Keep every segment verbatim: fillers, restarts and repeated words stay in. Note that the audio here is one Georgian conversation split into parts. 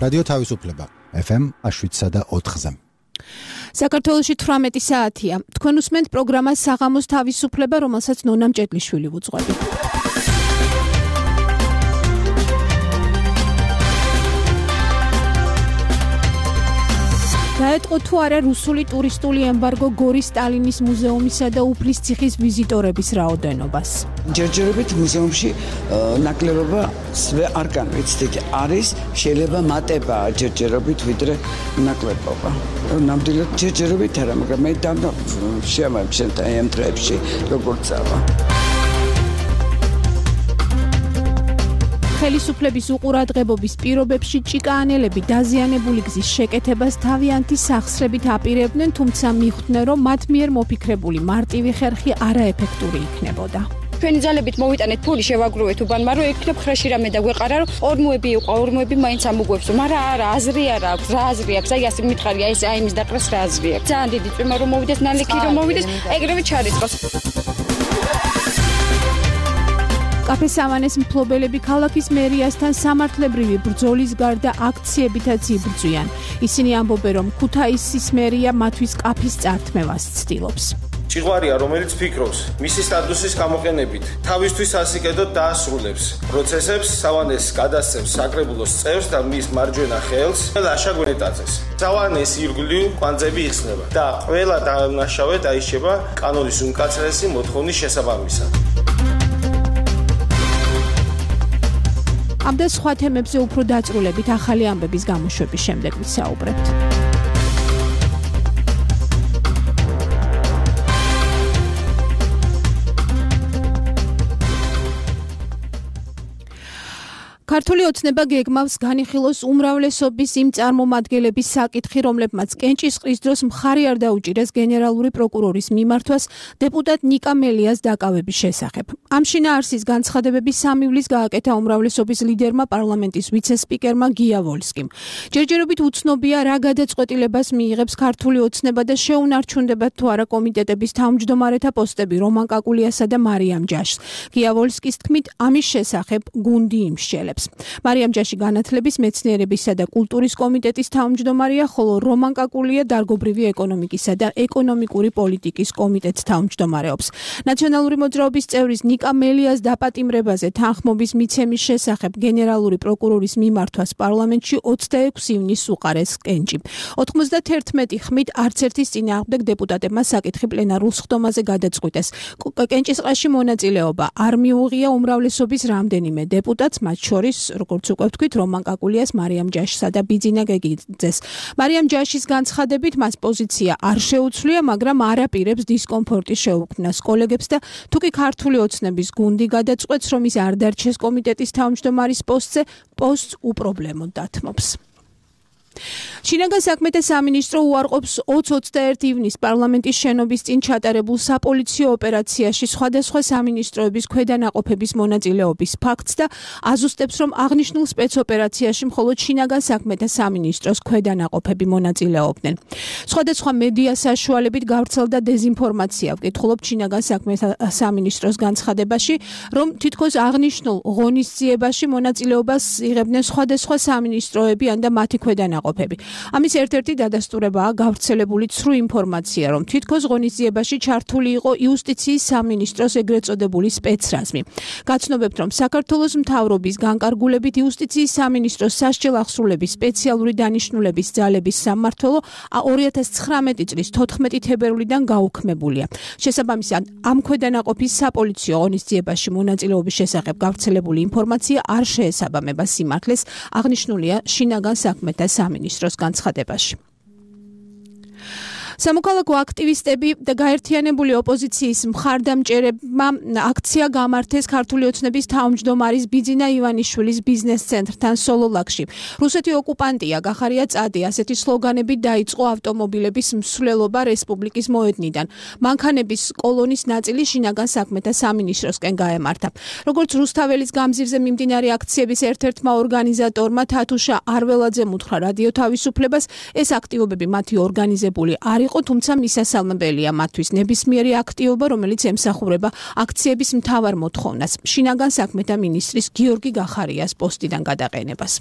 რადიო თავისუფლება ეფ ემ შვიდსა და ოთხზე. საქართველოში თვრამეტი საათია. თქვენ უსმენთ პროგრამას საღამოს თავისუფლება, რომელსაც ნონა მჭედლიშვილი ვუძღვები. დაეთყო თუ არა რუსული ტურისტული ემბარგო გორის სტალინის მუზეუმისა და უფლის ციხის ვიზიტორების რაოდენობას. ჯერჯერობით მუზეუმში ნაკლებობა არ განვიცდით. არის შეიძლება მატება ჯერჯერობით ვიდრე ნაკლებობა. ნამდვილად ჯერჯერობით არა, მაგრამ მე დაბნა შემამჩნევ აი ამ დღეებში როგორც წავა. ხელისუფლების უყურადღებობის პირობებში ჭიკაანელები დაზიანებული გზის შეკეთებას თავიანთი სახსრებით აპირებდნენ, თუმცა მიხვდნენ, რომ მათ მიერ მოფიქრებული მარტივი ხერხი არაეფექტური იქნებოდა. ჩვენი ძალებით მოვიტანეთ ფული, შევაგროვეთ უბანმა, რომ ექნებ ხრეში რამე და გვეყარა, რომ ორმოები იყო, ორმოები მაინც ამოგვევს, მაგრამ არა, აზრი არა აქვს, რა აზრი აქვს, აი ასე მითხარია, ეს აი იმის დაყრას რა აზრი აქვს. ძალიან დიდი წვიმა რომ მოვიდეს, ნალექი რომ მოვიდეს, ეგრევე ჩარიცხოს. კაფე სამანეს მფლობელები ქალაქის მერიასთან სამართლებრივი ბრძოლის გარდა აქციებითაც იბრძვიან. ისინი ამბობენ, რომ ქუთაისის მერია მათთვის კაფის წართმევას ცდილობს. ჭიღვარია, რომელიც ფიქრობს, მისი სტატუსის გამოყენებით თავისთვის ასიკეთოდ დაასრულებს პროცესებს, სავანეს გადასცემს საკრებულოს წევრს და მის მარჯვენა ხელს ლაშა გვენეტაძეს. სავანეს ირგვლივ კვანძები იხსნება და ყველა დამნაშავე დაიშება კანონის უმკაცრესი მოთხოვნის შესაბამისად. ამ და სხვა თემებზე უფრო დაწრულებით ახალი ამბების გამოშვების შემდეგ ვისაუბრებთ. ქართული ოცნება გეგმავს განიხილოს უმრავლესობის იმ წარმომადგენლების საკითხი, რომლებმაც კენჭისყრის დროს მხარი არ დაუჭირეს გენერალური პროკურორის მიმართვას დეპუტატ ნიკა მელიას დაკავების შესახებ. ამ შინაარსის განცხადებები სამივლის გააკეთა უმრავლესობის ლიდერმა პარლამენტის ვიცე-სპიკერმა გია ვოლსკიმ. ჯერჯერობით უცნობია, რა გადაწყვეტილებას მიიღებს ქართული ოცნება და შეუნარჩუნდებათ თუ არა კომიტეტების თავმჯდომარეთა პოსტები რომან კაკულიასა და მარიამ ჯაშს. გია ვოლსკის თქმით, ამის შესახებ გუნდი იმსჯელებს. მარიამ ჯაში განათლების, მეცნიერებისა და კულტურის კომიტეტის თავმჯდომარეა, ხოლო რომან კაკულია დარგობრივი ეკონომიკისა და ეკონომიკური პოლიტიკის კომიტეტს თავმჯდომარეობს. ნაციონალური მოძრაობის წევრის ნიკა მელიას დაპატიმრებაზე თანხმობის მიცემის შესახებ გენერალური პროკურორის მიმართვას პარლამენტში ოცდაექვსი ივნისს უყარეს კენჭი. ოცდაათერთმეტი ხმით არც ერთის წინააღმდეგ დეპუტატებმა საკითხი პლენარულ სხდომაზე გადაწყვიტეს. კენჭისყრაში მონაწილეობა არ მიუღია უმრავლესობის რამდენიმე დეპუტატს, მათ შორის როგორც უკვე ვთქვით, რომან კაკულიას, მარიამ ჯაშსა და ბიძინა გეგიძეს. მარიამ ჯაშის განცხადებით მას პოზიცია არ შეუცვლია, მაგრამ არ აპირებს დისკომფორტის შეუქმნას კოლეგებს და თუ კი ქართული ოცნების გუნდი გადაწყვეტს, რომ ის არ დარჩეს კომიტეტის თავმჯდომარის პოსტზე, პოსტს უპრობლემოდ დათმობს. შინაგან საქმეთა სამინისტრო უარყოფს ოცდაერთი ივნისს პარლამენტის შენობის წინ ჩატარებულ საპოლიციო ოპერაციაში სხვადასხვა სამინისტროების ქვედანაყოფების მონაწილეობის ფაქტს და აზუსტებს, რომ აღნიშნულ სპეცოპერაციაში მხოლოდ შინაგან საქმეთა სამინისტროს ქვედანაყოფები მონაწილეობდნენ. სხვადასხვა მედია საშუალებით გავრცელდა დეზინფორმაცია. ვკითხულობთ შინაგან საქმეთა სამინისტროს განცხადებაში, რომ თითქოს აღნიშნულ ღონისძიებაში მონაწილეობას იღებდნენ სხვადასხვა სამინისტროებიან და მათი ქვედანაყოფები. ამის ერთ-ერთი დადასტურებაა გავრცელებული ცრუ ინფორმაცია, რომ თითქოს ღონისძიებაში ჩართული იყო იუსტიციის სამინისტროს ეგრეთ წოდებული სპეცრაზმი. გაცნობებთ, რომ საქართველოს მთავრობის განკარგულებით იუსტიციის სამინისტროს სასჯელ აღსრულების სპეციალური დანიშნულების ძალების სამმართველო ორი ათას ცხრამეტი წლის თოთხმეტი თებერვლიდან გაუქმებულია. შესაბამისად, ამ ქვედანაყოფის საპოლიციო ღონისძიებაში მონაწილეობის შესახებ გავრცელებული ინფორმაცია არ შეესაბამება სიმართლეს, აღნიშნულია შინაგან საქმეთა სამინისტროს განცხადებაში. სამოქალაქო აქტივისტები და გაერთიანებული ოპოზიციის მხარდამჭერებმა აქცია გამართეს ქართული ოცნების თავმჯდომარის ბიძინა ივანიშვილის ბიზნეს ცენტრთან სოლოლაკში. რუსეთი ოკუპანტია, გახარია წადი, ასეთი სლოგანები დაიწყო ავტომობილების მსვლელობა რესპუბლიკის მოედნიდან. მანქანების კოლონის ნაწილი შინაგან საქმეთა სამინისტროსკენ გაემართა. როგორც რუსთაველის გამზირზე მიმდინარე აქციების ერთ-ერთმა ორგანიზატორმა თათუშა არველაძემ უთხრა რადიო თავისუფლებას, ეს აქტივობები მათი ორგანიზებული არ იყო, თუმცა მისასალმებელია მათთვის ნებისმიერი აქტივობა, რომელიც ემსახურება აქციების მთავარ მოთხოვნას, შინაგან საქმეთა მინისტრის გიორგი გახარიას პოსტიდან გადაყენებას.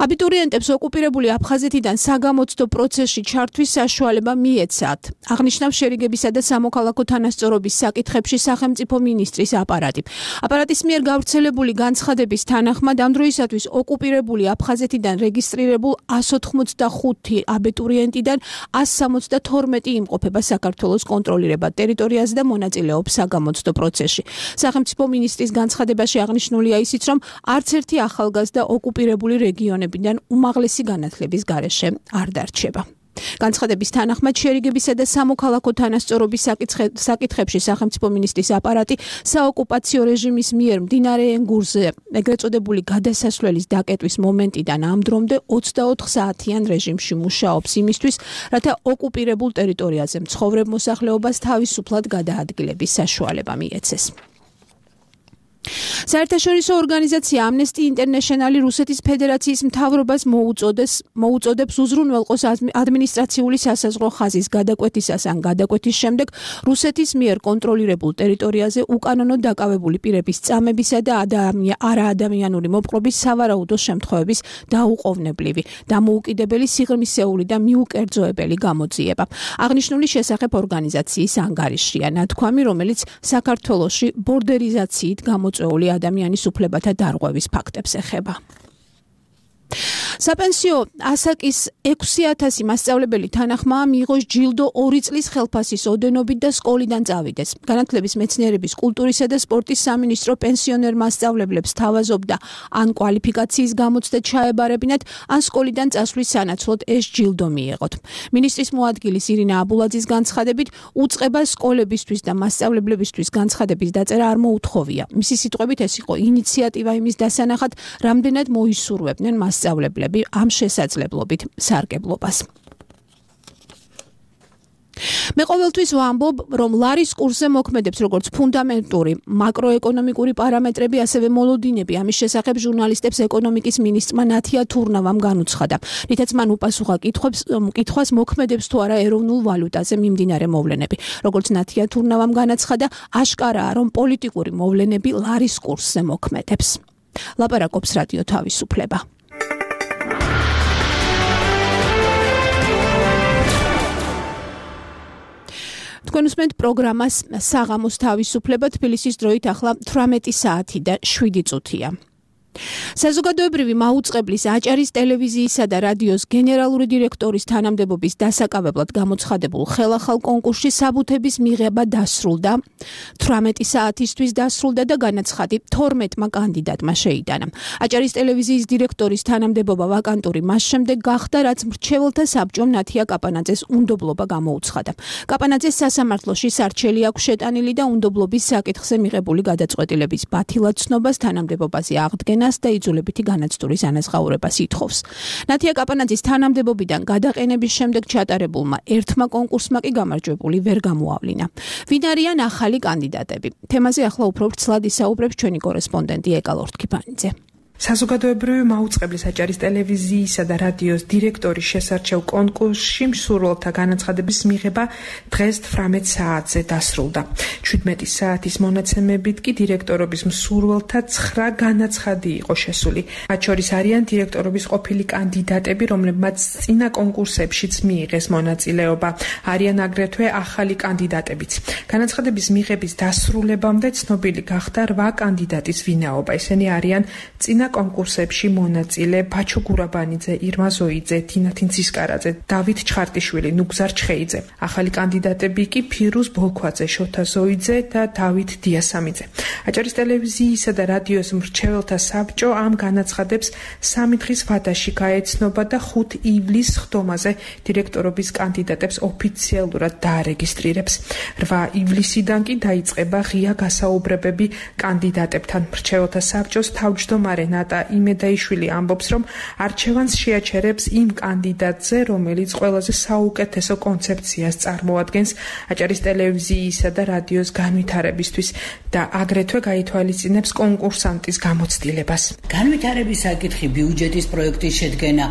აბიტურიენტებს ოკუპირებული აფხაზეთიდან საგამოცდო პროცესში ჩართვის საშუალება მიეცათ. აღნიშნავს შერიგებისა და სამოქალაქო თანასწორობის საკითხებში სახელმწიფო მინისტრის აპარატი. აპარატის მიერ გავრცელებული განცხადების თანახმად ამ დროისათვის ოკუპირებული აფხაზეთიდან რეგისტრირებულ εκατს ოთხმოცდახუთი აბიტურიენტიდან εκατს სამოცდათორმეტი იმყოფება საქართველოს კონტროლირებად ტერიტორიაზე და მონაწილეობს საგამოცდო პროცესში. სახელმწიფო მინისტრის განცხადებაში აღნიშნულია ისიც, რომ არც ერთი ახალგაზრდა ოკუპირებული რეგიონებიდან უმაღლესი განათლების გარეშე არ დარჩება. განცხადების თანახმად შერიგებისა და სამოქალაქო თანასწორობის საკითხებში სახელმწიფო მინისტრის აპარატი საოკუპაციო რეჟიმის მიერ მდინარე ენგურზე ეგრეთ წოდებული გადასასვლელის დაკეტვის მომენტიდან ამ დრომდე ოცდაოთხ საათიან რეჟიმში მუშაობს იმისთვის, რათა ოკუპირებულ ტერიტორიაზე მცხოვრებ მოსახლეობას თავისუფლად გადაადგილების საშუალება მიეცეს. საერთაშორისო ორგანიზაცია Amnesty International რუსეთის ფედერაციის მთავრობას მოუწოდეს მოუწოდებს უზრუნველყოს ადმინისტრაციული სასაზღვრო ხაზის გადაკვეთისას ან გადაკვეთის შემდეგ რუსეთის მიერ კონტროლირებულ ტერიტორიაზე უკანონო დაკავებული პირების წამებისა და არაადამიანური მოპყრობის სავარაუდო შემთხვევების დაუყოვნებლივი, დამოუკიდებელი, სიღრმისეული და მიუკერძოებელი გამოძიება. აღნიშნული შესახებ ორგანიზაციის ანგარიშია ნათქვამი, რომელიც საქართველოში ბორდერიზაციით გამოწვეული ადამიანის უფლებათა დარღვევის ფაქტებს ეხება. საპენსიო ასაკის ექვსი ათასი მასწავლებელი თანახმაა მიიღოს ჯილდო ორი წლის ხელფასის ოდენობით და სკოლიდან წავიდეს. განათლების მეცნიერების, კულტურისა და სპორტის სამინისტრო პენსიონერ მასწავლებლებს თავაზობდა ან კვალიფიკაციის გამოცდა ჩაებარებინათ, ან სკოლიდან წასვლის სანაცვლოდ ეს ჯილდო მიიღოთ. მინისტრის მოადგილის ირინა აბულაძის განცხადებით, უწყება სკოლებისთვის და მასწავლებლებისთვის განცხადების დაწერა არ მოუთხოვია. მისი სიტყვებით, ეს იყო ინიციატივა იმის დასანახად, რამდენად მოისურვებდნენ მასწავლებლები ამ შესაძლებლობით სარგებლობას. მე ყოველთვის ვამბობ, რომ ლარის კურსზე მოქმედებს როგორც ფუნდამენტური მაკროეკონომიკური პარამეტრები, ასევე მოლოდინები. ამის შესახებ ჟურნალისტებს ეკონომიკის მინისტრმა ნათია თურნავამ განუცხადა. რითაც მან უპასუხა კითხვებს, კითხვას მოქმედებს თუ არა ეროვნულ ვალუტაზე მიმდინარე მოვლენები. როგორც ნათია თურნავამ განაცხადა, აშკარაა, რომ პოლიტიკური მოვლენები ლარის კურსზე მოქმედებს. ლაპარაკობს რადიო თავისუფლება. თქვენ უსმენთ პროგრამას საღამოს თავისუფლება, თბილისის დროით ახლა თვრამეტი საათი და შვიდი წუთია. საზოგადოებრივი მაუწყებლის აჭარის ტელევიზიისა და რადიოს გენერალური დირექტორის თანამდებობის დასაკავებლად გამოცხადებულ ხელახალ კონკურსში საბუთების მიღება დასრულდა. თვრამეტი საათისთვის დასრულდა და განაცხადი თორმეტმა კანდიდატმა შეიტანა. აჭარის ტელევიზიის დირექტორის თანამდებობა ვაკანტური მას შემდეგ გახდა, რაც მრჩეველთა საბჭომ ნათია კაპანაძეს უნდობლობა გამოუცხადა. კაპანაძეს სასამართლოში სარჩელი აქვს შეტანილი და უნდობლობის საკითხზე მიღებული გადაწყვეტილების ბათილად ცნობას თანამდებობაზე აღდგენა და იძულებითი განაცდურის ანაზღაურებას ითხოვს. ნათია კაპანაძის თანამდებობიდან გადაყენების შემდეგ ჩატარებულმა ერთმა კონკურსმა კი გამარჯვებული ვერ გამოავლინა. ვინ არიან ახალი კანდიდატები? თემაზე ახლა უფრო ვრცლად ისაუბრებს ჩვენი კორესპონდენტი ეკალ ორთქიფანიძე. საზოგადოებრივი მაუწყებლის აჭარის ტელევიზიისა და რადიოს დირექტორის შესარჩევ კონკურსში მსურველთა განაცხადების მიღება დღეს თვრამეტ საათზე დასრულდა. შვიდმეტი საათის მონაცემებით კი დირექტორობის მსურველთა ცხრა განაცხადი იყო შესული. მათ შორის არიან დირექტორობის ყოფილი კანდიდატები, რომლებმაც წინა კონკურსებშიც მიიღეს მონაწილეობა. არიან აგრეთვე ახალი კანდიდატებიც. განაცხადების მიღების დასრულებამდე ცნობილი გახდა რვა კანდიდატის ვინაობა. ისინი არიან წინა კონკურსებში მონაწილე ბაჩო გურაბანიძე, ირმა ზოიძე, თინათინ ცისკარაძე, დავით ჩხარტიშვილი, ნუგზარ ჩხეიძე. ახალი კანდიდატები კი ფირუზ ბოლქვაძე, შოთა ზოიძე და დავით დიასამიძე. აჭარის ტელევიზიისა და რადიოს მრჩეველთა საბჭო ამ განაცხადებს სამი დღის ვადაში გაეცნობა და ხუთ ივლისს ხდომაზე დირექტორობის კანდიდატებს ოფიციალურად დაარეგისტრირებს. რვა ივლისიდან კი დაიწყება ღია გასაუბრებები კანდიდატებთან. მრჩეველთა საბჭოს თავმჯდომარე ნატა იმედაიშვილი ამბობს, რომ არჩევანს შეაჩერებს იმ კანდიდატზე, რომელიც ყველაზე საუკეთესო კონცეფციას წარმოადგენს აჭარის ტელევიზიისა და რადიოს განვითარებისთვის და აგრეთვე გაითვალისწინებს კონკურსანტის გამოცდილებას. განვითარების საკითხი, ბიუჯეტის პროექტის შედგენა,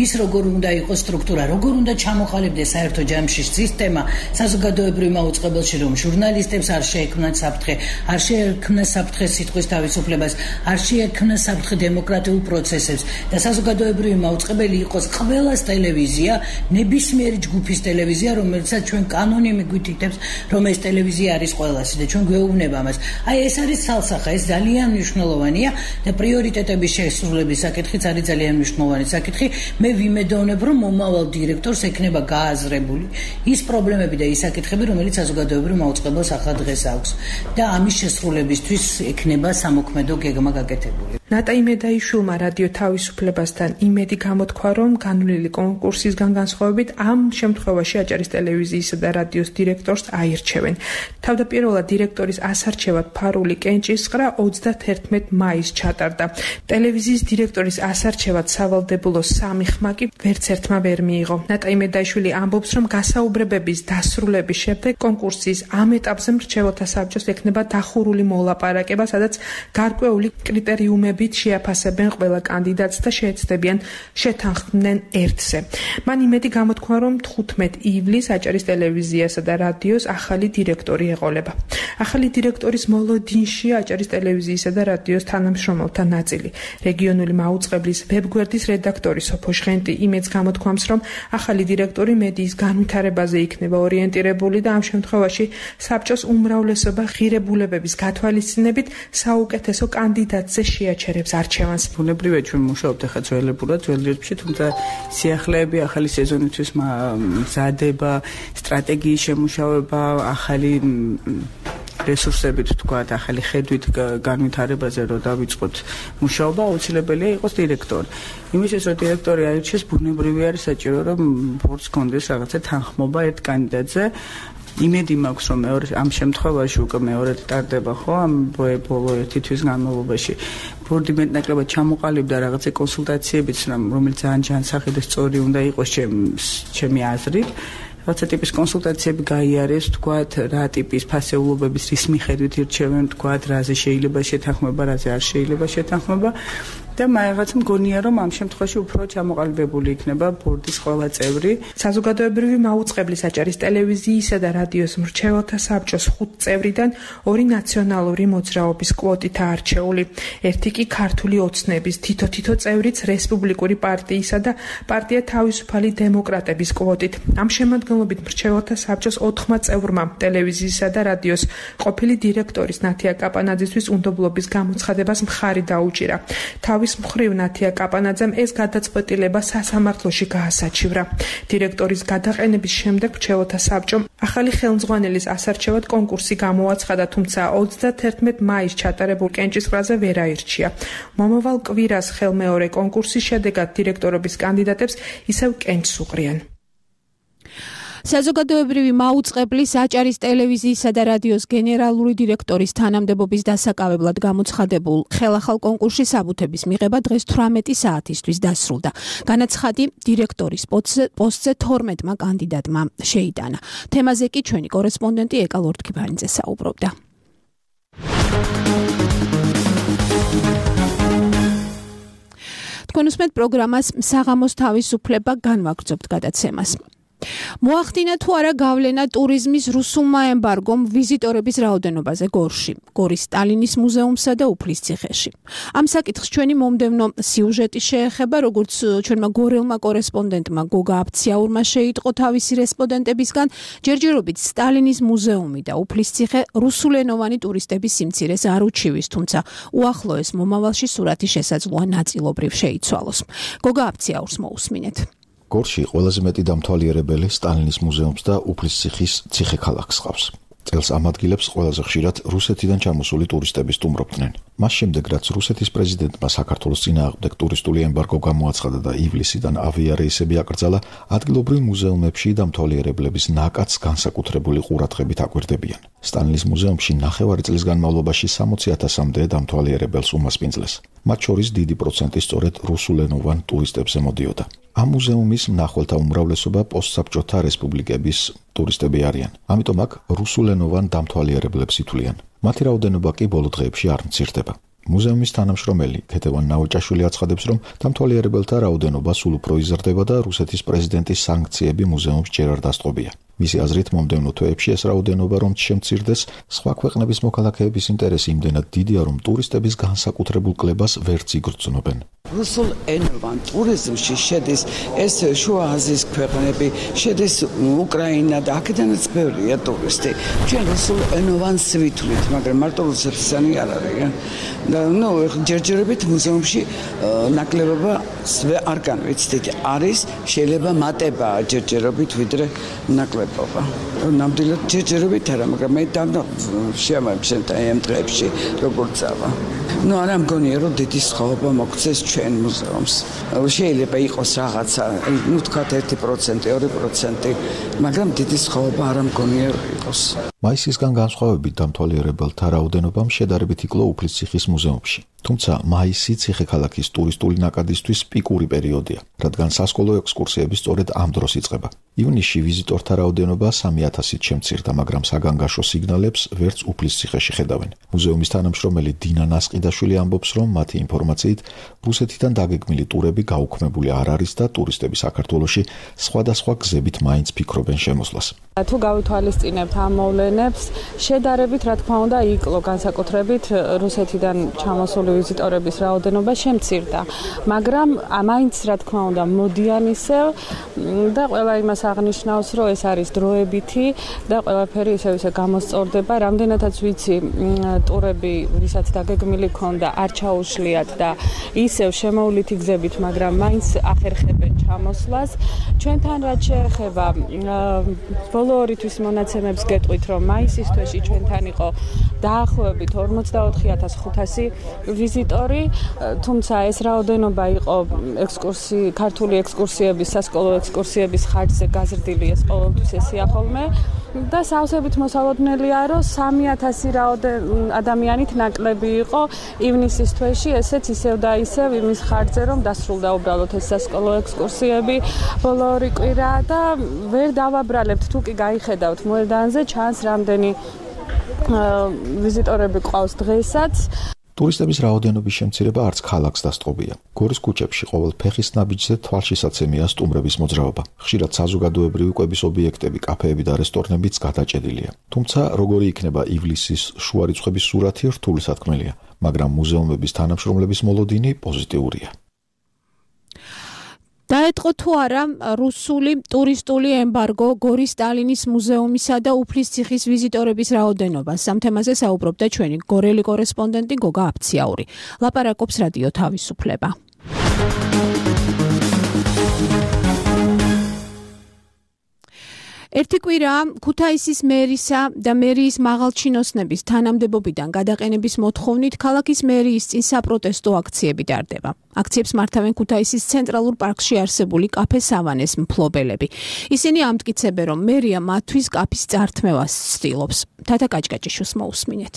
ის როგორ უნდა იყოს სტრუქტურა, როგორ უნდა ჩამოყალიბდეს საერთო ჯამში სისტემა საზოგადოებრივ მაუწყებელში, რომ ჟურნალისტებს არ შეექმნათ საფრთხე, არ შეექმნათ საფრთხე სიტყვის თავისუფლებას, არ შეექმნათ საფრთხე დემოკრატიულ პროცესებს და საზოგადოებრივი მაუწყებელი იყოს ყველას ტელევიზია, ნებისმიერი ჯგუფის ტელევიზია, რომელსაც ჩვენ კანონი მიგვითითებს, რომ ეს ტელევიზია არის ყველასი და ჩვენ გვეუბნება მას. აი ეს არის ცალსახა, ეს ძალიან მნიშვნელოვანია და პრიორიტეტების შესრულების საკითხიც არის ძალიან მნიშვნელოვანი საკითხი. მე ვიმედოვნებ, რომ მომავალ დირექტორს ექნება გააზრებული ის პრობლემები და ის საკითხები, რომელიც საზოგადოებრივ მაუწყებელს ახლა დღეს აქვს და ამის შესრულებისთვის ექნება სამოქმედო გეგმა გაკეთებული. ნატა იმედაიშვილმა რადიო თავისუფლებასთან იმედი გამოთქვა, რომ განვლილი კონკურსისგან განსხვავებით ამ შემთხვევაში აჭარის ტელევიზიისა და რადიოს დირექტორს აირჩევენ. თავდაპირველად დირექტორის ასარჩევად ფარული კენჭისყრა ოცდაათერთმეტ მაისს ჩატარდა. ტელევიზიის დირექტორის ასარჩევად სავალდებულო სამი ხმა კი ვერც ერთმა ვერ მიიღო. ნატა იმედაიშვილი ამბობს, რომ გასაუბრებების დასრულების შემდეგ კონკურსის ამ ეტაპზე მრჩეველთა საბჭოს ექნება დახურული მოლაპარაკება, სადაც გარკვეული კრიტერიუმები შეაფასებენ ყველა კანდიდატს და შეეცდებიან შეთანხმდნენ ერთზე. მან იმედი გამოთქვა, რომ თხუთმეტ ივლისს აჭარის ტელევიზიასა და რადიოს ახალი დირექტორი ეყოლება. ახალი დირექტორის მოლოდინში აჭარის ტელევიზიისა და რადიოს თანამშრომელთა ნაწილი. რეგიონული მაუწყებლის ვებგვერდის რედაქტორი სოფო ჟღენტი იმედს გამოთქვამს, რომ ახალი დირექტორი მედიის განვითარებაზე იქნება ორიენტირებული და ამ შემთხვევაში საბჭოს უმრავლესობა ღირებულებების გათვალისწინებით საუკეთესო კანდიდატზე შეაჩერებს არჩევანს. ბუნებრივია ჩვენ მუშაობთ ახლა ძველებურად, ძველ რიცხვში, თუმცა სიახლეები ახალი სეზონისთვის მზადება, სტრატეგიის შემუშავება, ახალი რესურსებით თქვა, ახალი ხედვით განვითარებაზე რო დავიწყოთ მუშაობა, აუცილებელია იყოს დირექტორი. იმისთვის რომ დირექტორი აირჩიეს, ბუნებრივი არის საჭირო რომ ბორდს კონდეს რაღაცა თანხმობა ერთ კანდიდატზე. იმედი მაქვს რომ მეორე ამ შემთხვევაში უკვე მეორედ ტარდება ხო ამ ბოლო ერთი თვის განმავლობაში ბორდი მეტნაკლებად ჩამოყალიბდა რაღაცა კონსულტაციებიც რომელიც ძალიან ჯანსაღი და სწორი უნდა იყოს ჩემი აზრით რაღაცა ტიპის კონსულტაციები გაიარეს თქვათ რა ტიპის ფასეულობების რის მიხედვით ირჩევენ თქვათ რაზე შეიძლება შეთანხმება რაზე არ შეიძლება შეთანხმება და მაგაც მგონია რომ ამ შემთხვევაში უფრო ჩამოყალიბებული იქნება ბორდის ყველა წევრი. საზოგადოებრივი მაუწყებლის აჭარის ტელევიზიისა და რადიოს მრჩეველთა საბჭოს ხუთ წევრიდან ორი ნაციონალური მოძრაობის კვოტით არჩეული. ერთი კი ქართული ოცნების თითო-თითო წევრიც რესპუბლიკური პარტიისა და პარტია თავისუფალი დემოკრატების კვოტით. ამ შემადგენლობით მრჩეველთა საბჭოს ოთხმა წევრმა ტელევიზიისა და რადიოს ყოფილი დირექტორის ნათია კაპანაძისთვის უნდობლობის გამოცხადებას მხარი დაუჭირა. თავის მხრივ ნათია კაპანაძემ ეს გადაწყვეტილება სასამართლოში გაასაჩივრა. დირექტორის გადაყენების შემდეგ მრჩეველთა საბჭომ ახალი ხელმძღვანელის ასარჩევად კონკურსი გამოაცხადა, თუმცა ოცდაათერთმეტ მაისს ჩატარებულ კენჭისყრაზე ვერ აირჩია. მომავალ კვირას ხელმეორე კონკურსის შედეგად დირექტორობის კანდიდატებს ისევ კენჭს უყრიან. საზოგადოებრივი მაუწყებლის აჭარის ტელევიზიისა და რადიოს გენერალური დირექტორის თანამდებობის დასაკავებლად გამოცხადებულ ხელახალ კონკურსში საბუთების მიღება დღეს თვრამეტი საათისთვის დასრულდა. განაცხადი დირექტორის პოსტზე თორმეტმა კანდიდატმა შეიტანა. თემაზე კი ჩვენი კორესპონდენტი ეკა ლორთქიფანიძე საუბრობდა. თქვენ უსმენთ პროგრამას საღამოს თავისუფლება განვაგრძობთ გადაცემას. მოახდინა თუ არა გავლენა ტურიზმის რუსულმა ემბარგომ ვიზიტორების რაოდენობაზე გორში, გორის სტალინის მუზეუმსა და უფლისციხეში. ამ საკითხს ჩვენი მომდევნო სიუჟეტი შეეხება, როგორც ჩვენმა გორელმა კორესპონდენტმა გოგა აფციაურმა შეიტყო თავისი რესპონდენტებისგან, ჯერჯერობით სტალინის მუზეუმი და უფლისციხე რუსულენოვანი ტურისტების სიმცირეს არ უჩივის, თუმცა უახლოეს მომავალში სურათი შესაძლოა ნაწილობრივ შეიცვალოს. გოგა აფციაურს მოусმინეთ. გორში ყველაზე მეტი დამთვალიერებელი სტალინის მუზეუმს და უფლისციხის ციხე-ქალაქს ყავს. წელს ამ ადგილებს ყველაზე ხშირად რუსეთიდან ჩამოსული ტურისტები სტუმრობდნენ. მას შემდეგ, რაც რუსეთის პრეზიდენტმა საქართველოს წინააღმდეგ ტურისტული ემბარგო გამოაცხადა და ივლისიდან ავიარეისები აკრძალა, ადგილობრივ მუზეუმებში დამთვალიერებლების ნაკადს განსაკუთრებული ყურადღებით აკვირდებიან. სტალინის მუზეუმში ნახევარი წლის განმავლობაში სამოცი ათასამდე დამთვალიერებელს უმასპინძლეს. მათ შორის დიდი პროცენტი სწორედ რუსულენოვან ტურისტებზე მოდიოდა. ამ მუზეუმის მნახველთა უმრავლესობა პოსტსაბჭოთა რესპუბლიკების ტურისტები არიან. ამიტომ აქ რუსულენოვან დამთვალიერებლებს ითვლიან. მათი რაოდენობა კი ბოლო დღეებში არ მცირდება. მუზეუმის თანამშრომელი ქეთევან ნაოჭაშვილი აცხადებს, რომ დამთვალიერებელთა რაოდენობა სულ უფრო იზრდება და რუსეთის პრეზიდენტის სანქციები მუზეუმს ჯერ არ დასწყობია. მისი აზრით, მომდევნო თვეებში ეს რაოდენობა რომ შემცირდეს, სხვა ქვეყნების მოქალაქეების ინტერესი იმდენად დიდია, რომ ტურისტების განსაკუთრებულ კლებას ვერც იგრძნობენ. რუსულ ენოვან ტურიზმში შედის ეს შუა აზიის ქვეყნები, შედის უკრაინა და აქედანაც ბევრია ტურისტი. ჩვენ რუსულ ენოვანს ვითვლით, მაგრამ მარტო რუსეთისანი არ არის. და ნუ ჯერჯერობით მუზეუმში ნაკლებობა არ განვიცდით. არის შეიძლება მატება ჯერჯერობით ვიდრე ნაკლებობა. ნამდვილად ჯერჯერობით არა, მაგრამ მე შემამჩნევ ამ დღეებში როგორ წავა. ნუ არა მგონია რომ დიდი სხვაობა მოგცეს ჩვენ მუზეუმს. შეიძლება იყოს რაღაცა, ნუ თქვათ ერთი პროცენტი, ორი პროცენტი, მაგრამ დიდი სხვაობა არ მგონია რომ იყოს. მაისისგან განსხვავებით დამთვალიერებელთა რაოდენობამ შედარებით იკლო უფლისციხის მუზეუმში. თუმცა მაისი ციხე-ქალაქის ტურისტული ნაკადისთვის პიკური პერიოდია, რადგან სასკოლო ექსკურსიები სწორედ ამ დროს იწყება. ივნისში ვიზიტორთა რაოდენობა სამი ათასით შემცირდა, მაგრამ საგანგაშო სიგნალებს ვერც უფლისციხეში ხედავენ. მუზეუმის თანამშრომელი დინა ნასყიდაშვილი ამბობს, რომ მათი ინფორმაციით რუსეთიდან დაგეგმილი ტურები გაუქმებული არ არის და ტურისტები საქართველოში სხვადასხვა გზებით მაინც ფიქრობენ შემოსვლას. თუ გავითვალისწინებთ ამ მოვლენებს, შედარებით რა თქმა უნდა იკლო განსაკუთრებით რუსეთიდან ჩამოსული ვიზიტორების რაოდენობა შემცირდა, მაგრამ მაინც რა თქმა უნდა მოდიან ისევ და ყველა იმას აღნიშნავს, რომ ეს არის დროებითი და ყველაფერი ისევ ისე გამოსწორდება. რამდენადაც ვიცი, ტურები, ვისაც დაგეგმილი ქონდა, არ ჩაუშლიათ და ისევ შემოვლითი გზებით, მაგრამ მაინც ახერხებენ ჩამოსვლას. ჩვენთან რაც შეეხება ბოლო ორი თვის მონაცემებს გეტყვით, რომ მაისის თვეში ჩვენთან იყო დაახლოებით ორმოცდაოთხი ათას ხუთასი ვიზიტორი, თუმცა ეს რაოდენობა იყო ექსკურსი, ქართული ექსკურსიების, სასკოლო ექსკურსიების ხარჯზე გაზრდილი, ეს ყოველთვის ესია ხოლმე და სავსებით მოსალოდნელია, რომ სამი ათასი ადამიანით ნაკლები იყო ივნისის თვეში, ესეც ისევ და ისევ იმის ხარჯზე, რომ დასრულდა უბრალოდ ეს სასკოლო ექსკურსიები ბოლო ორი კვირა და ვერ დავაბრალებთ, თუ კი გაიხედავთ მოედანზე, ჩანს რამდენი ვიზიტორები ყავს დღესაც. ტურისტების რაოდენობის შემცირება არც ქალაქს დასწყობია. გორის ქუჩებში ყოველ ფეხის ნაბიჯზე თვალშისაცემია სტუმრების მოძრაობა. ხშირად საზოგადოებრივი კვების ობიექტები, კაფეები და რესტორნებიც გადაჭედილია. თუმცა როგორი იქნება ივლისის შუა რიცხვების სურათი რთული სათქმელია, მაგრამ მუზეუმების თანამშრომლების მოლოდინი პოზიტიურია. დაეთყო თუ არა რუსული ტურისტული ემბარგო გორის სტალინის მუზეუმისა და უფლისციხის ვიზიტორების რაოდენობას. ამ თემაზე საუბრობდა ჩვენი გორელი კორესპონდენტი გოგა აფციაური. ლაპარაკობს რადიო თავისუფლება. ერთი კვირა ქუთაისის მერისა და მერიის მაღალჩინოსნების თანამდებობიდან გადაყენების მოთხოვნით ქალაქის მერიის წინ საპროტესტო აქციები ტარდება. აქციებს მართავენ ქუთაისის ცენტრალურ პარკში არსებული კაფე სავანეს მფლობელები. ისინი ამტკიცებენ, რომ მერია მათთვის კაფის წართმევას ცდილობს. თათა კაჭკაჭიშვილს მოусმინეთ.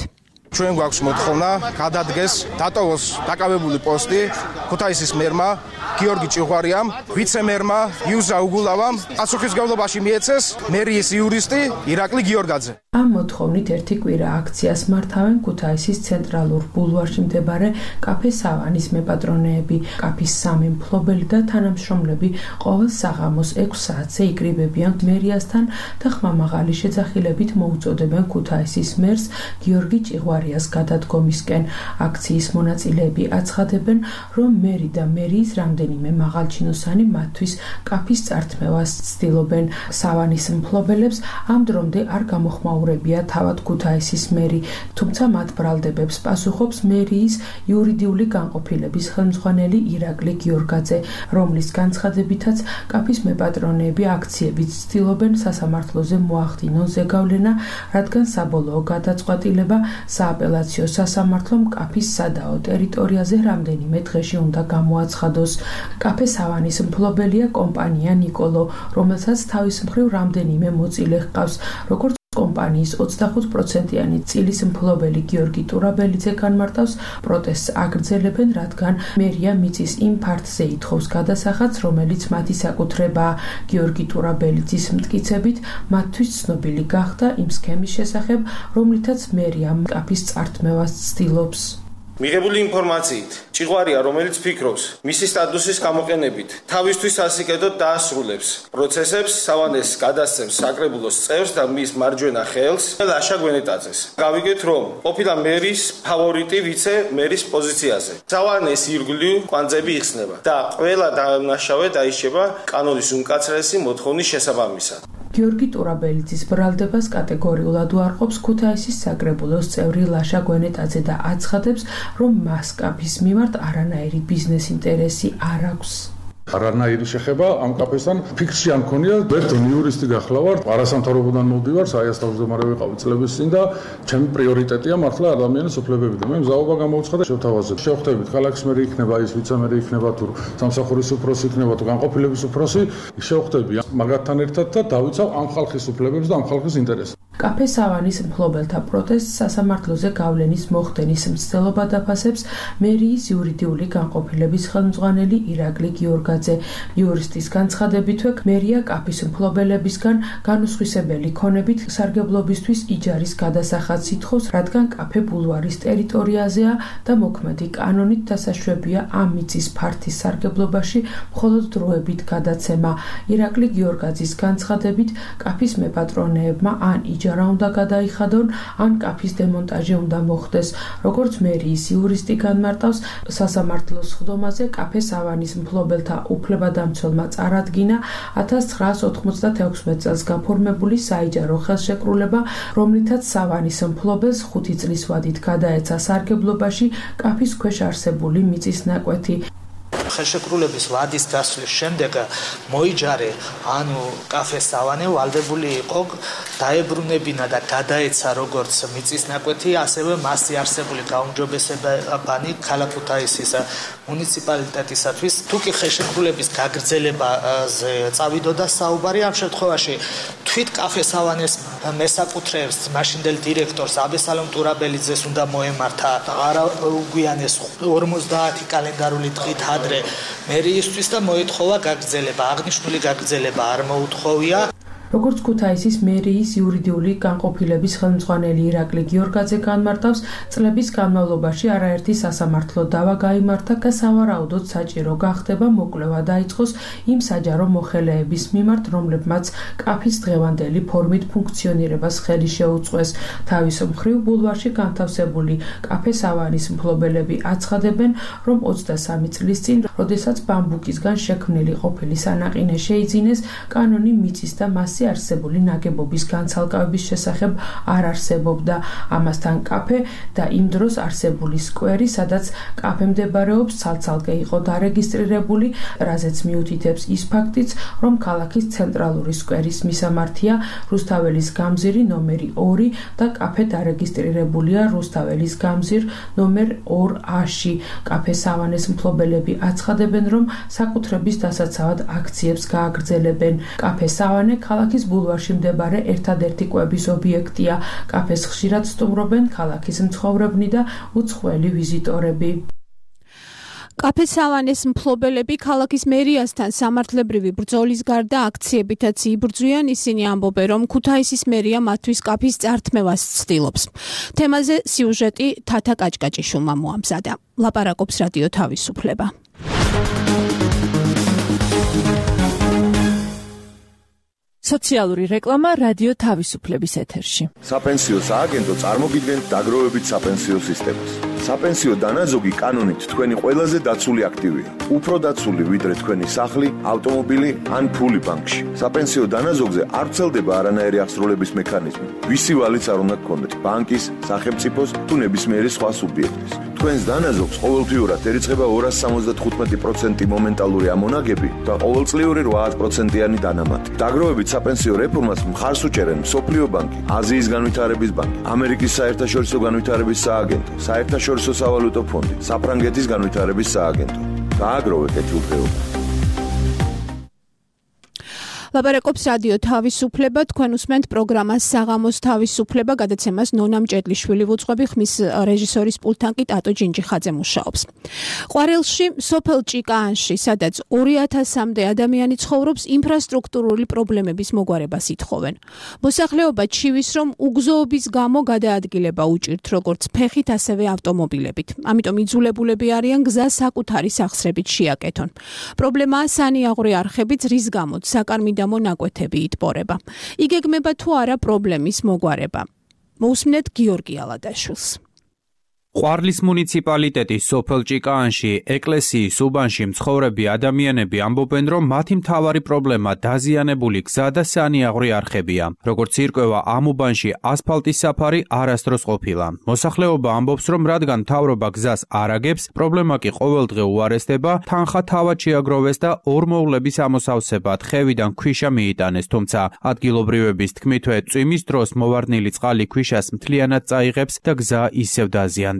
ჩვენ გვაქვს მოთხოვნა გადადგეს დატოვოს დაკავებული პოსტი ქუთაისის მერმა გიორგი ჭიღვარიამ, ვიცე-მერმა იუზა უგულავამ, პასუხისმგებლობაში მიეცეს მერიის იურისტი ირაკლი გიორგაძე. ამ მოთხოვნით ერთი კვირა აქციას მართავენ ქუთაისის ცენტრალურ ბულვარში მდებარე კაფე სავანის მეპატრონეები, კაფის სამი მფლობელი და თანამშრომლები ყოველ საღამოს ექვს საათზე იკრიბებიან მერიასთან და ხმამაღალი შეძახილებით მოუწოდებენ ქუთაისის მერს გიორგი ჭიღვარიას გადადგომისკენ. აქციის მონაწილეები აცხადებენ, რომ მერი და მერიის რამდენიმე მაღალჩინოსანი მათთვის კაფის წართმევას ცდილობენ. სავანის მფლობელებს ამ დრომდე არ გამოხმაურებია თავად ქუთაისის მერი, თუმცა მათ ბრალდებებს პასუხობს მერიის იურიდიული განყოფილების ხელმძღვანელი ირაკლი გიორგაძე, რომლის განცხადებითაც კაფის მეპატრონეები აქციებით ცდილობენ სასამართლოზე მოახდინონ ზეგავლენა, რადგან საბოლოო გადაწყვეტილება სააპელაციო სასამართლომ კაფის სადაო ტერიტორიაზე რამდენიმე დღეში უნდა გამოაცხადოს. კაფე სავანის მფლობელია კომპანია ნიკოლო, რომელსაც თავის მხრივ რამდენიმე მოწილე ჰყავს, როგორც კომპანიის ოცდახუთ პროცენტიანი წილის მფლობელი გიორგი ტურაბელიძე განმარტავს, პროტესტს აგრძელებენ, რადგან მერია მიწის იმ ფართზე ითხოვს გადასახადს, რომელიც მათი საკუთრებაა. გიორგი ტურაბელიძის მტკიცებით, მათთვის ცნობილი გახდა იმ სქემის შესახებ, რომლითაც მერია კაფის წართმევას ცდილობს. მიღებული ინფორმაციით, ჭიღვარია, რომელიც ფიქრობს მისი სტატუსის გამოყენებით თავისთვის სასიკეთოდ დაასრულებს პროცესებს, სავანეს გადასცემს საკრებულოს წევრს და მის მარჯვენა ხელს ლაშა გვენეტაძეს. გავიგეთ, რომ ყოფილა მერის ფავორიტი ვიცე მერის პოზიციაზე. სავანეს ირგვლივ კვანძები იხსნება და ყველა დამნაშავე დაიშება კანონის უმკაცრესი მოთხოვნის შესაბამისად. გიორგი ტურაბელიძის ბრალდებას კატეგორიულად უარყოფს ქუთაისის საკრებულოს წევრი ლაშა გვენეტაძე და აცხადებს, რომ მას კაფის მიმართ არანაირი ბიზნეს ინტერესი არ აქვს. არანაირი შეხება ამ კაფესთან ფიქსი არ მქონია, ბერტონ იურისტი გახლავარ, არასამთავრობოდან მოვდივარ, საიას თავმჯდომარე ვიყავი წლების წინ და ჩემი პრიორიტეტია მართლა ადამიანის უფლებები და მე მზაობა გამოვცხადე შევთავაზეთ. შევხვდებით ქალაქის მერი იქნება, ის ვიცე-მერი იქნება თუ სამსახურის უფროსი იქნება თუ განყოფილების უფროსი, შევხვდები მაგათთან ერთად და დავიცავ ამ ხალხის უფლებებს და ამ ხალხის ინტერესებს. კაფე სავანის მფლობელთა პროტესტს სასამართლოზე გავლენის მოხდენის მცდელობა დაფასებს მერიის იურიდიული განყოფილების ხელმძღვანელი ირაკლი გიორგაძე. იურისტის განცხადებითვე მერია კაფის მფლობელებისგან განუსხვისებელი ქონებით სარგებლობისთვის იჯარის გადასახადს ითხოვს, რადგან კაფე ბულვარის ტერიტორიაზეა და მოქმედი კანონით დასაშვებია ამ მიწის ფართის სარგებლობაში მხოლოდ დროებით გადაცემა. ირაკლი გიორგაძის განცხადებით კაფის მეპატრონეებმა ან იჯარის უნდა გადაიხადონ, ან კაფის დემონტაჟი უნდა მოხდეს. როგორც მერიის იურისტი განმარტავს, სასამართლოს სხდომაზე კაფე სავანის მფლობელთა უფლებადამცველმა წარადგინა ათას ცხრაას ოთხმოცდათექვსმეტ წელს გაფორმებული საიჯარო ხელშეკრულება, რომლითაც სავანის მფლობელს ხუთი წლის ვადით გადაეცა სარგებლობაში კაფის ქვეშ არსებული მიწის ნაკვეთი. ხელშეკრულების ვადის გასვლის შემდეგ მოიჯარე, ანუ კაფე სავანე ვალდებული იყო დაებრუნებინა და გადაეცა როგორც მიწის ნაკვეთი, ასევე მასზე არსებული გაუმჯობესებანი ქალაქ ქუთაისის მუნიციპალიტეტისათვის. თუ კი ხელშეკრულების გაგრძელებაზე წავიდოდა საუბარი, ამ შემთხვევაში თვით კაფე სავანეს მესაკუთრეებს მაშინდელ დირექტორს აბესალომ ტურაბელიძეს უნდა მოემართა, არაუგვიანეს ორმოცდაათი კალენდარული დღით ადრე მერიისთვის და მოითხოვა გაგრძელება. აღნიშნული გაგრძელება არ მოუთხოვია. როგორც ქუთაისის მერიის იურიდიული განყოფილების ხელმძღვანელი ირაკლი გიორგაძე განმარტავს, წლების განმავლობაში არაერთი სასამართლო დავა გაიმართა და სავარაუდოდ საჭირო გახდება მოკვლევა დაიწყოს იმ საჯარო მოხელეების მიმართ, რომლებმაც კაფის დღევანდელი ფორმით ფუნქციონირებას ხელი შეუწყეს. თავის მხრივ ბულვარში განთავსებული კაფე სავანის მფლობელები აცხადებენ, რომ ოცდასამი წლის წინ, როდესაც ბამბუკისგან შექმნილი ყოფილი სანაყინე შეიძინეს, კანონი მიწის და მას არსებული ნაგებობის განცალკევების შესახებ არ არსებობდა. ამასთან კაფე და იმ დროს არსებული სკვერი, სადაც კაფე მდებარეობს, ცალ-ცალკე იყო დარეგისტრირებული, რაზეც მიუთითებს ის ფაქტიც, რომ ქალაქის ცენტრალური სკვერის მისამართია რუსთაველის გამზირი ნომერი ორი და კაფე დარეგისტრირებულია რუსთაველის გამზირ ნომერ ორ აში. კაფე სავანის მფლობელები აცხადებენ, რომ საკუთრების დასაცავად აქციებს გააგრძელებენ. კაფე სავანე ქალაქის ბულვარში მდებარე ერთადერთი კვების ობიექტია. კაფეს ხშირად სტუმრობენ ქალაქის მცხოვრებნი და უცხოელი ვიზიტორები. კაფე სავანეს მფლობელები ქალაქის მერიასთან სამართლებრივი ბრძოლის გარდა აქციებითაც იბრძვიან. ისინი ამბობენ, რომ ქუთაისის მერია მათთვის კაფის წართმევას ცდილობს. თემაზე სიუჟეტი თათა კაჭკაჭიშვილმა მოამზადა. ლაპარაკობს რადიო თავისუფლება. სოციალური რეკლამა რადიო თავისუფლების ეთერში. საპენსიო სააგენტო წარმოგიდგენთ დაგროვებით საპენსიო სისტემას. საპენსიო დანაზოგი კანონით თქვენი ყველაზე დაცული აქტივია. უფრო დაცული ვიდრე თქვენი სახლი, ავტომობილი ან ფული ბანკში. საპენსიო დანაზოგზე არ ვრცელდება არანაირი აღსრულების მექანიზმი. ვისი ვალიც არ უნდა გქონდეთ, ბანკის, სახელმწიფოს თუ ნებისმიერი სხვა სუბიექტის. თქვენს დანაზოგს ყოველთვიურად ერიცხება ორასი სამოცდათხუთმეტი პროცენტი მომენტალური ამონაგები და ყოველწლიური რვა პროცენტიანი დანამატი. დაგროვებით საპენსიო რეფორმას მხარს უჭერენ მსოფლიო ბანკი, აზიის განვითარების ბანკი, ამერიკის საერთაშორისო განვითარების სააგენტო, საერთაშორისო სავალუტო ფონდი, საფრანგეთის განვითარების სააგენტო. გააგროვეთ ეთილდღეობა. ლაპარაკობს რადიო თავისუფლება, თქვენ უსმენთ პროგრამას საღამოს თავისუფლება, გადაცემას ნონა მჭედლიშვილი ვუძღვები, ხმის რეჟისორის პულტთან კი ტატო ჯინჯიხაძე მუშაობს. ყვარელში, სოფელ ჭიკაანში, სადაც ორი ათასამდე ადამიანი ცხოვრობს, ინფრასტრუქტურული პრობლემების მოგვარებას ითხოვენ. მოსახლეობა ჩივის, რომ უგზოობის გამო გადაადგილება უჭირთ როგორც ფეხით, ასევე ავტომობილებით. ამიტომ იძულებულები არიან გზა საკუთარი სახსრებით შეაკეთონ. პრობლემაა სანიაღვრე არხებიც, რის გამოც საკარმიდამო ნაკვეთები იტბორება. იგეგმება თუ არა პრობლემის მოგვარება. მოусმინეთ გიორგი ალადაშვილს. ყვარლის მუნიციპალიტეტის სოფელ ჭიკაანში, ეკლესიის უბანში მცხოვრები ადამიანები ამბობენ, რომ მათი მთავარი პრობლემა დაზიანებული გზა და სანიაღვრე არხებია. როგორც ირკვევა, ამ უბანში ასფალტის საფარი არასდროს ყოფილა. მოსახლეობა ამბობს, რომ რადგან მთავრობა გზას არ აგებს, პრობლემა კი ყოველდღე უარესდება, თანხა თავად შეაგროვეს და ორმოვლების ამოსავსებად ხევიდან ქვიშა მიიტანეს, თუმცა ადგილობრივების თქმითვე წვიმის დროს მოვარდნილი წყალი ქვიშას მთლიანად წაიღებს და გზა ისევ დაზიანდება.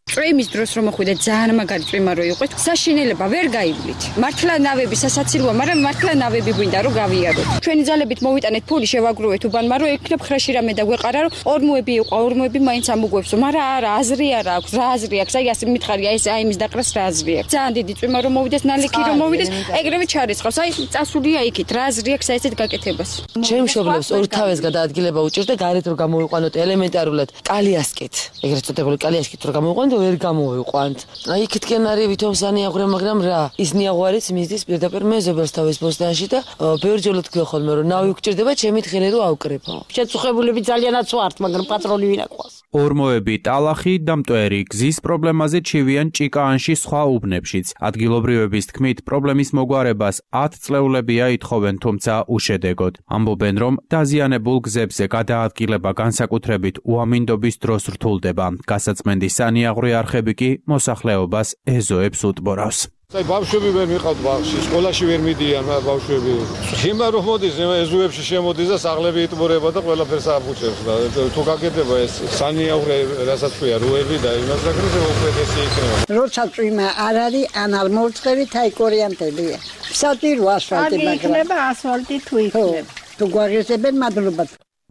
წვიმის დროს რომ მოხვიდე ძალიან მაგარი წვიმა რო იყო, საშინელება ვერ გაივლით. მართლა ნავები სასაცილოა, მაგრამ მართლა ნავები გვინდა რომ გავიაროთ. ჩვენი ძალებით მოვიტანეთ ფული, შევაგროვეთ უბანმა, რომ ექნებ ხრეში რამე და გვეყარა, რომ ორმოები იყო, ორმოები მაინც ამოგვევსო, მაგრამ არა, აზრი არა აქვს, რა აზრი აქვს? აი ასე მითხარია, ეს აი იმის დაყრას რა აზრი აქვს? ძალიან დიდი წვიმა რომ მოვიდეს, ნალექი რომ მოვიდეს, ეგრევე ჩარიცხავს. აი წასულია იქით, რა აზრი აქვს აი ესეთ გაკეთებას? ჩემ მშობლებს ორ თავეს გადაადგილება უჭირდა, გარეთ რომ გამოვიყვანოთ ელემენტარულად კალიასკით. ეგრეთ წოდებული კალიასკით რომ გამოვიყვანოთ ვერ გამოვიყვანთ. აი იქითკენ არის ვითომ სანიაღვრე, მაგრამ რა, ის ნიაღვარიც მისდის პირდაპირ მეზობელს თავის ბოსტანში და ბევრჯერ თქვი ხოლმე რომ ნავი გჭირდება, ჩემი თხილი რომ ავკრებო. შეწუხებულები ძალიანაც ვართ, მაგრამ პატრონი ვინ აყვას? ორმოები, ტალახი და მტვერი გზის პრობლემაზე ჩივიან ჭიკაანში სხვა უბნებშიც. ადგილობრივების თქმით, პრობლემის მოგვარებას ათ წლეულებია ითხოვენ, თუმცა უშედეგოდ. ამბობენ, რომ დაზიანებულ გზებზე გადაადგილება განსაკუთრებით უამინდობის დროს რთულდება. გასაწმენდის სანიაღვრე არხები კი მოსახლეობას ეზოებს უტბორავს. აი ბავშვები ვერ მიყავთ ბაღში, სკოლაში ვერ მიდიან ბავშვები. ხიმა რომ მოდის, ეზოებში შემოდის და საღლები იტბორება და ყველაფერს აბუჭებს და თუ გაკეთება ეს სანიაღვრე, რასაც ქვია, როები და იმას საკრეზე უპირატესი იქნება. როცა წვიმა არ არის, ანალ მოვწყებით, აი კორიანტებია. საჭირო ასფალტი, მაგრამ იქნება ასფალტი თუ იქნება. თუ გვაღიზებენ, მადლობა.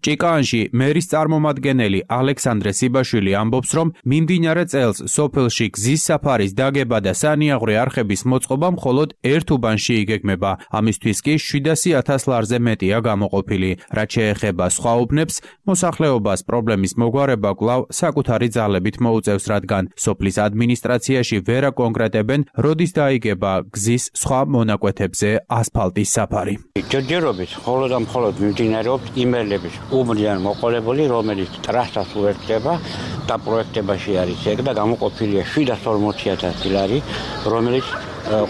ჭიკაანში მერის წარმომადგენელი ალექსანდრე სიბაშვილი ამბობს, რომ მიმდინარე წელს სოფელში გზის საფარის დაგება და სანიაღვრე არხების მოწყობა მხოლოდ ერთ უბანში იგეგმება. ამისთვის კი შვიდასი ათას ლარზე მეტია გამოყოფილი. რაც შეეხება სხვა უბნებს, მოსახლეობას პრობლემის მოგვარება კვლავ საკუთარი ძალებით მოუწევს, რადგან სოფლის ადმინისტრაციაში ვერ აკონკრეტებენ, როდის დაიგება გზის სხვა მონაკვეთებზე ასფალტის საფარი. ჯერჯერობით მხოლოდ და მხოლოდ მიმდინარეობს იმერლების უბნიდან მოყოლებული, რომელიც ტრასას უერთდება და პროექტებაში არის ეგ და გამოყოფილია შვიდას ორმოცი ათასი ლარი, რომელიც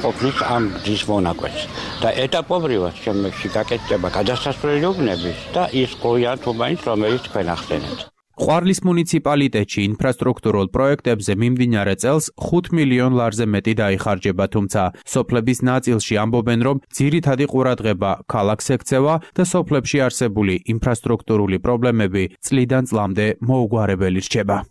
ყოფნის ამ გზის მონაკვეთს. და ეტაპობრივად შემდეგში გაკეთდება გადასასვლელი უბნების და ის ყოიან თუ მაინც რომელიც თქვენ ახსენეთ. ყვარლის მუნიციპალიტეტში ინფრასტრუქტურულ პროექტებზე მიმდინარე წელს ხუთ მილიონ ლარზე მეტი დაიხარჯება, თუმცა სოფლების ნაწილში ამბობენ, რომ ძირითადი ყურადღება ქალაქს ექცევა და სოფლებში არსებული ინფრასტრუქტურული პრობლემები წლიდან წლამდე მოუგვარებელი რჩება.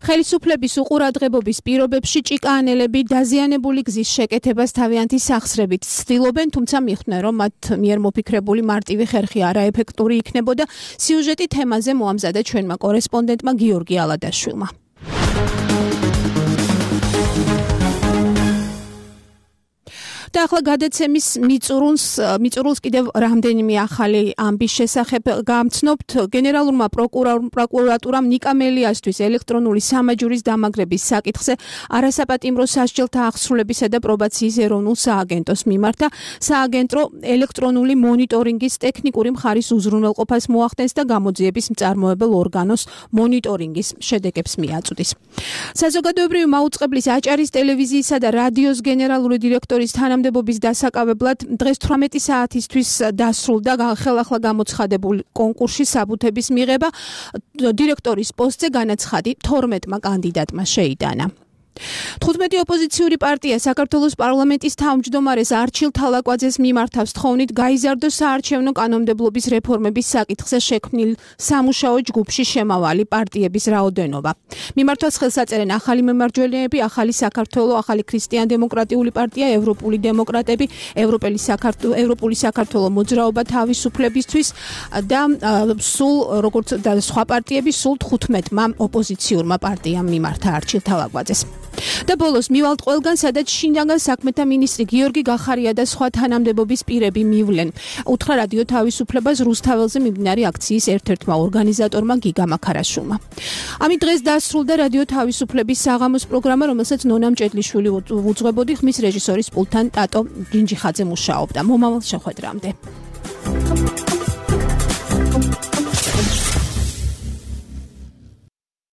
ხელისუფლების უყურადღებობის პირობებში ჭიკაანელები დაზიანებული გზის შეკეთებას თავიანთი სახსრებით ცდილობენ, თუმცა მიხვდნენ, რომ მათ მიერ მოფიქრებული მარტივი ხერხი არაეფექტური იქნებოდა. სიუჟეტი თემაზე მოამზადა ჩვენმა კორესპონდენტმა გიორგი ალადაშვილმა. და ახლა გადაცემის მიწურულს მიწურულს კიდევ რამდენიმე ახალი ამბის შესახებ გამცნობთ. გენერალურმა პროკურატურამ ნიკა მელიასთვის ელექტრონული სამაჯურის დამაგრების საკითხზე არასაპატიმრო სასჯელთა აღსრულებისა და პრობაციის ეროვნულ სააგენტოს მიმართა. სააგენტო ელექტრონული მონიტორინგის ტექნიკური მხარის უზრუნველყოფას მოახდენს და გამოძიების მწარმოებელ ორგანოს მონიტორინგის შედეგებს მიაწვდის. საზოგადოებრივი მაუწყებლის აჭარის ტელევიზიისა და რადიოს გენერალური დირექტორის თანამდებობის დასაკავებლად დღეს თვრამეტი საათისთვის დასრულდა ხელახლა გამოცხადებულ კონკურსში საბუთების მიღება. დირექტორის პოსტზე განაცხადი თორმეტმა კანდიდატმა შეიტანა. თხუთმეტი ოპოზიციური პარტია საქართველოს პარლამენტის თავმჯდომარეს არჩილ თალაკვაძეს მიმართავს თხოვნით გაიზარდოს საარჩევნო კანონმდებლობის რეფორმების საკითხზე შექმნილ სამუშაო ჯგუფში შემავალი პარტიების რაოდენობა. მიმართვას ხელს აწერენ ახალი მემარჯვენეები, ახალი საქართველო, ახალი ქრისტიან-დემოკრატიული პარტია, ევროპული დემოკრატები, ევროპელი საქართველო, ევროპული საქართველო მოძრაობა თავისუფლებისთვის და სულ როგორც და სხვა პარტიები სულ თხუთმეტმა ოპოზიციურმა პარტიამ მიმართა არჩილ თალაკვაძეს. და ბოლოს მივალთ ყველგან, სადაც შინაგან საქმეთა მინისტრი გიორგი გახარია და სხვა თანამდებობის პირები მივლენ. უთხრა რადიო თავისუფლებას რუსთაველზე მიმდინარე აქციის ერთ-ერთმა ორგანიზატორმა გიგა მაქარაშვილმა. ამით დღეს დასრულდა რადიო თავისუფლების საღამოს პროგრამა, რომელსაც ნონა მჭედლიშვილი უძღვებოდი, ხმის რეჟისორის პულტთან ტატო ბრინჯიხაძე მუშაობდა. მომავალ შეხვედრამდე.